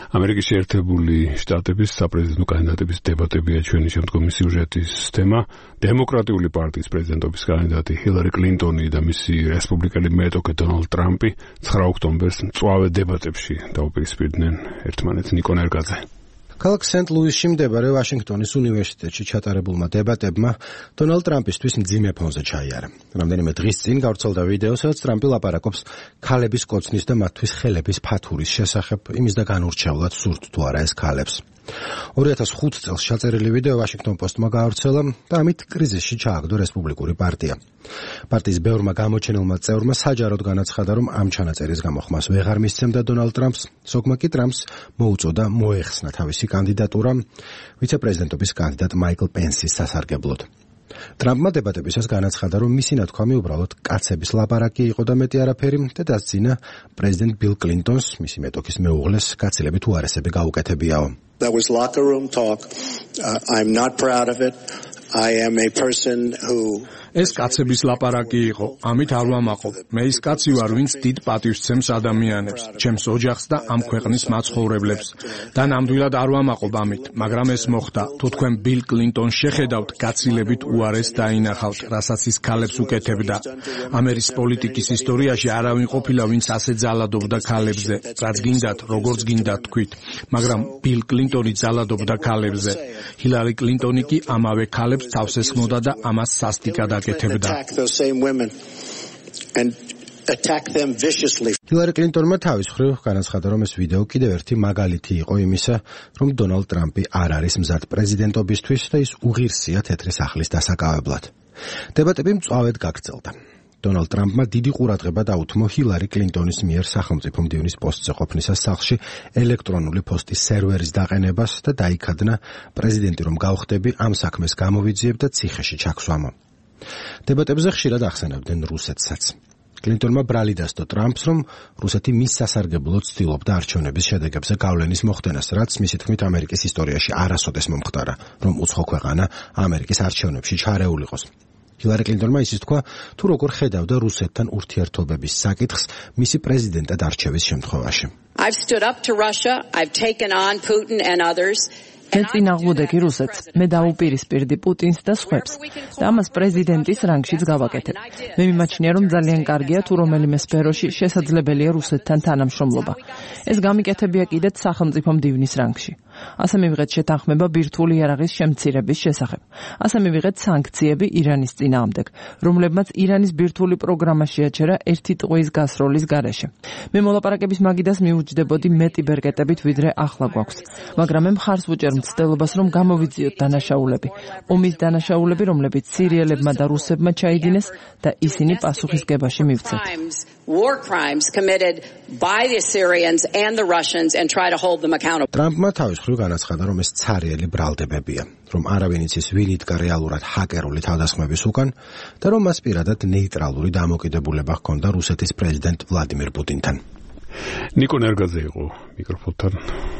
ამერიკის შეერთებული შტატების საპრეზიდენტო კანდიდატების დებატებია ჩვენი შემდგომი სიუჟეტის თემა. დემოკრატიული პარტიის პრეზიდენტობის კანდიდატი ჰილარი კლინტონი და მისი რესპუბლიკელი მეტოქე დონალდ ტრამპი 9 ოქტომბერს მწვავე დებატებში დაუპირისპირდნენ ერთმანეთს. ნიკო ნერგაძე. ქალაქ სენტ-ლუისში მდებარე ვაშინგტონის უნივერსიტეტში ჩატარებულმა დებატებმა დონალდ ტრამპისთვის მძიმე ფონზე ჩაიარა. რამდენიმე დღის წინ გავრცელდა ვიდეო, სადაც ტრამპი ლაპარაკობს ქალების კოცნის და მათთვის ხელების ფათურის შესახებ, იმის და განურჩევლად სურთ თუ არა ეს ქალებს. 2005 წელს ჩაწერილი ვიდეო ვაშინგტონ პოსტმა გაავრცელა და ამით კრიზისში ჩააგდო რესპუბლიკური პარტია. პარტიის ბევრმა გამოჩენილმა წევრმა საჯაროდ განაცხადა, რომ ამ ჩანაწერის გამო ხმას ვეღარ მისცემდა დონალდ ტრამპს, ზოგმა კი ტრამპს მოუწოდა მოეხსნა თავისი კანდიდატურა ვიცე-პრეზიდენტობის კანდიდატ მაიკლ პენსის სასარგებლოდ. ტრამპმა დებატებისას განაცხადა, რომ მისი ნათქვამი უბრალოდ კაცების ლაპარაკი იყო და მეტი არაფერი და დასძინა პრეზიდენტ ბილ კლინტონს, მისი მეტოქის მეუღლეს, გაცილებით უარესები გაუკეთებიაო. That was locker room talk. I'm not proud of it. I am a person who ეს კაცების ლაპარაკი იყო. ამით არ ვამაყობ. მე ის კაცი ვარ, ვინც დიდ პატივს ცემს ადამიანებს, ჩემს ოჯახს და ამ ქვეყნის მაცხოვრებლებს. და ნამდვილად არ ვამაყობ ამით, მაგრამ ეს მოხდა. თუ თქვენ ბილ კლინტონს შეხედავთ, გაცილებით უარეს დაინახავთ, რასაც ის ქალებს უკეთებდა. ამერიკის პოლიტიკის ისტორიაში არავინ ყოფილა, ვინც ასე ძალადობდა ქალებზე. რაც გინდათ, როგორც გინდათ თქვით. მაგრამ ბილ კლინტონი ძალადობდა ქალებზე. ჰილარი კლინტონი კი ამავე ქალებს თავს ესხმოდა და ამას სასტიკად ჰილარი კლინტონმა თავის მხრივ განაცხადა, რომ ეს ვიდეო კიდევ ერთი მაგალითი იყო იმისა, რომ დონალდ ტრამპი არ არის მზად პრეზიდენტობისთვის და ის უღირსია თეთრი სახლის დასაკავებლად. დებატები მწვავედ გაგრძელდა. დონალდ ტრამპმა დიდი ყურადღება დაუთმო ჰილარი კლინტონის მიერ სახელმწიფო მდივნის პოსტზე ყოფნისას სახლში ელექტრონული პოსტის სერვერის დაყენებას და დაიქადნა პრეზიდენტი რომ გავხდები ამ საქმეს გამოვიძიებ და ციხეში ჩაქვსვამო. დებატებზე ხშირად ახსენებდნენ რუსეთსაც. კლინტონმა ბრალი დასდო ტრამპს, რომ რუსეთი მის სასარგებლოდ ცდილობდა არჩევნების შედეგებზე გავლენის მოხდენას, რაც მისი თქმით ამერიკის ისტორიაში არასოდეს მომხდარა, რომ უცხო ქვეყანა ამერიკის არჩევნებში ჩარეულიყოს. ჰილარი კლინტონმა ისიც თქვა, თუ როგორ ხედავდა რუსეთთან ურთიერთობების საკითხს მისი პრეზიდენტად არჩევის შემთხვევაში. I've stood up to Russia, I've taken on Putin and others. მე წინააღმდეგი რუსეთს, მე დაუპირისპირდი პუტინს და სხვებს და ამას პრეზიდენტის რანგშიც გავაკეთებ. მე მიმაჩნია, რომ ძალიან კარგია თუ რომელიმე სფეროში შესაძლებელია რუსეთთან თანამშრომლობა. ეს გამიკეთებია კიდეც სახელმწიფო მდივნის რანგში. ასე მივიღეთ შეთანხმება ბირთვული იარაღის შემცირების შესახებ. ასე მივიღეთ სანქციები ირანის წინააღმდეგ, რომლებმაც ირანის ბირთვული პროგრამა შეაჩერა 1 ტყუის გასროლის გარეშე. მე მოლაპარაკების მაგიდას მიუჯდებოდი მეტი ბერკეტებით, ვიდრე ახლა გვაქვს, მაგრამ მე მხარს ვუჭერ მცდელობას, რომ გამოვიძიოთ დანაშაულები. ომის დანაშაულები, რომლებიც სირიელებმა და რუსებმა ჩაიდინეს და ისინი პასუხისგებაში მივცეთ. War crimes committed by the Syrians and the Russians and try to hold them accountable. ტრამპმა თავის მხრივ განაცხადა, რომ ეს ცარიელი ბრალდებებია, რომ არავინ იცის ვინ იდგა რეალურად ჰაკერული თავდასხმების უკან და რომ მას პირადად ნეიტრალური დამოკიდებულება ჰქონდა რუსეთის პრეზიდენტ ვლადიმირ პუტინთან. ნიკო ნერგაძე იყო მიკროფონთან.